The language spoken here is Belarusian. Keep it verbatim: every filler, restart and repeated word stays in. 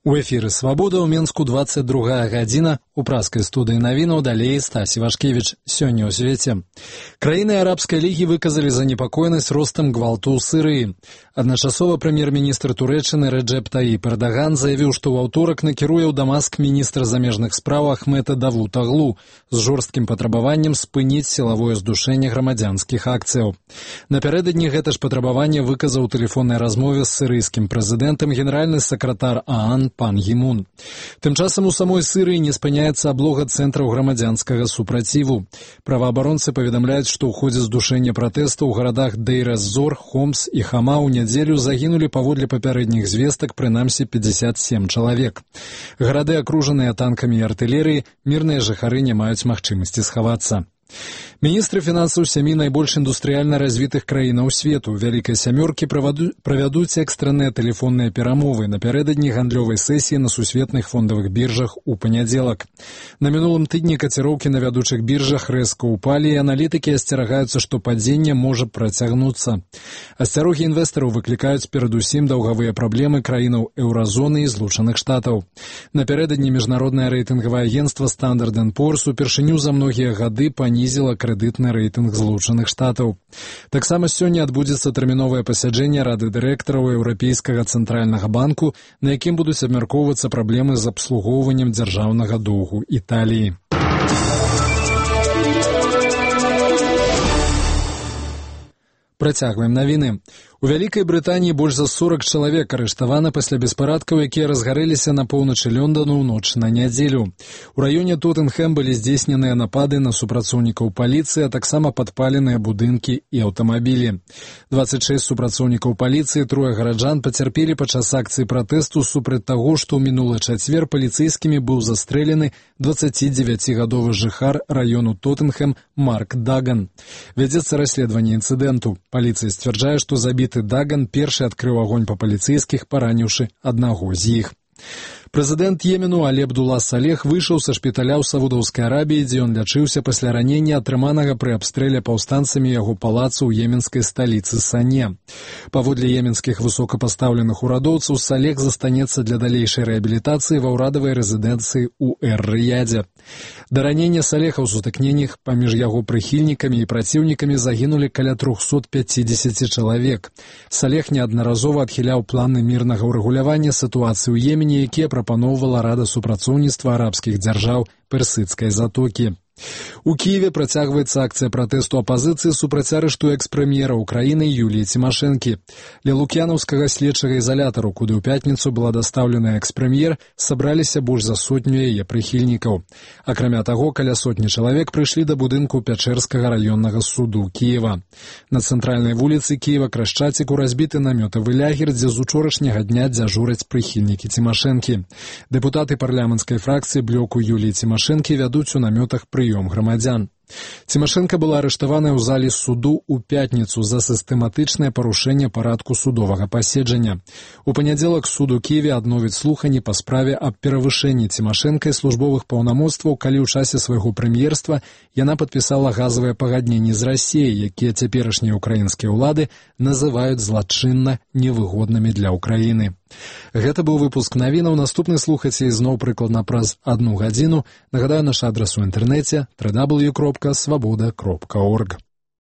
У эфіры «Свабода» ў Менску двадцать другая гадзіна. У праскай студыі навінаў далей Стась Івашкевіч. Сёння ў свеце. Краіны Арабскай лігі выказалі занепакоенасць ростам гвалту ў Сірыі. Адначасова прэм'ер-міністр Турэччыны Рэджэп Таіп Эрдаган заявіў, што ў аўторак накіруе ў Дамаск міністра замежных спраў Ахмета Давутаглу з жорсткім патрабаваннем спыніць сілавое здушэнне грамадзянскіх акцыяў. Напярэдадні гэта ж патрабаванне выказаў у тэлефоннай размове з сірыйскім прэзідэнтам генеральны сакратар ААН Пан Гі-мун. Тым часам у самой Сірыі не спыняецца аблога цэнтраў грамадзянскага супраціву. Праваабаронцы паведамляюць, што ў ходзе здушэння пратэсту ў гарадах Дейр-эз-Зор, Хомс і Хама ў нядзелю загінулі паводле папярэдніх звестак прынамсі пятьдесят семь чалавек. Гарады акружаныя танкамі і артылерыяй, мірныя жыхары не маюць магчымасці схавацца. Міністры фінансаў сямі найбольш індустрыяльна развітых краінаў свету вялікай сямёркі правядуць экстранныя тэлефонныя перамовы напярэдадні гандлёвай сесіі на сусветных фондавых біржах у панядзелак. На мінулым тыдні каціроўкі на вядучых біржах рэзка ўпалі, і аналітыкі асцерагаюцца, што падзенне можа працягнуцца. Асцярогі інвестараў выклікаюць перадусім даўгавыя праблемы краінаў еўразоны і Злучаных Штатаў. Напярэдадні міжнароднае рэйтынгавае агенцтва Standard энд Poor's упершыню за многія гады панізіла крэдытны рэйтынг Злучаных Штатаў. Таксама сёння адбудзецца тэрміновае пасяджэнне Рады дырэктараў Еўрапейскага цэнтральнага банку, на якім будуць абмяркоўвацца праблемы з абслугоўваннем дзяржаўнага доўгу Італіі. Працягваем навіны. У Вялікай Брытаніі больш за сорок чалавек арыштавана пасля беспарадкаў, якія разгарэліся на поўначы Лёндану ў ноч на нядзелю. У раёне Тоттенхэм былі здзейсненыя напады на супрацоўнікаў паліцыі, а таксама падпаленыя будынкі і аўтамабілі. двадцать шесть супрацоўнікаў паліцыі, трое гараджан пацярпелі падчас акцыі пратэсту супраць таго, што ў мінулы чацвер паліцэйскімі быў застрэлены дваццацідзевяцігадовы жыхар раёну Тоттенхэм Марк Даган. Вядзецца расследаванне інцыдэнту. Паліцыя сцвярджае, што забіты Даган першы адкрыў агонь па паліцэйскіх, параніўшы аднаго з іх. Прэзідэнт Йемену Алі Абдулла Салех выйшаў са шпіталя ў Саудаўскай Арабіі, дзе ён лячыўся пасля ранення, атрыманага пры абстрэле паўстанцамі яго палацу ў йеменскай сталіцы Сане. Паводле йеменскіх высокапастаўленых урадоўцаў, Салех застанецца для далейшай рэабілітацыі ва ўрадавай рэзідэнцыі ў Эр-Рыядзе. Да ранення Салеха ў сутыкненнях паміж яго прыхільнікамі і праціўнікамі загінулі каля трохсот пяцідзесят чалавек. Салех неаднаразова адхіляў планы мірнага ўрэгулявання сітуацыі ў Йемене, якія прапаноўвала Рада супрацоўніцтва арабскіх дзяржаў Персідскай затокі. У Кіеве працягваецца акцыя пратэсту апазіцыі супраць арышту экс-прэм'ера ўкраіны Юліі Цімашэнкі. Ля лук'янаўскага следчага ізалятару, куды ў пятніцу была дастаўлена экс-прэм'ер, сабраліся больш за сотню яе прыхільнікаў. Акрамя таго, каля сотні чалавек прыйшлі да будынку Пячэрскага раённага суду Кіева. На цэнтральнай вуліцы Кіева Крашчаціку разбіты намётавы лягер, дзе з учорашняга дня дзяжураць прыхільнікі Цімашэнкі. Дэпутаты парламенцкай фракцыі блоку Юліі Цімашэнкі вядуць у намётах пры прыём грамадзян. Цімашэнка была арыштаваная ў залі суду ў пятніцу за сістэматычнае парушэнне парадку судовага паседжання. У панядзелак суд у Кіеве адновіць слуханні па справе аб перавышэнні Цімашэнкай службовых паўнамоцтваў, калі ў часе свайго прэм'ерства яна падпісала газавыя пагадненні з Расіяй, якія цяперашнія ўкраінскія ўлады называюць злачынна невыгоднымі для Ўкраіны. Гэта быў выпуск навінаў. Наступны слухаце ізноў прыкладна праз адну гадзіну. Нагадаю, наш адрас у інтэрнэце дабл ю дабл ю дабл ю крапка свабода крапка орг.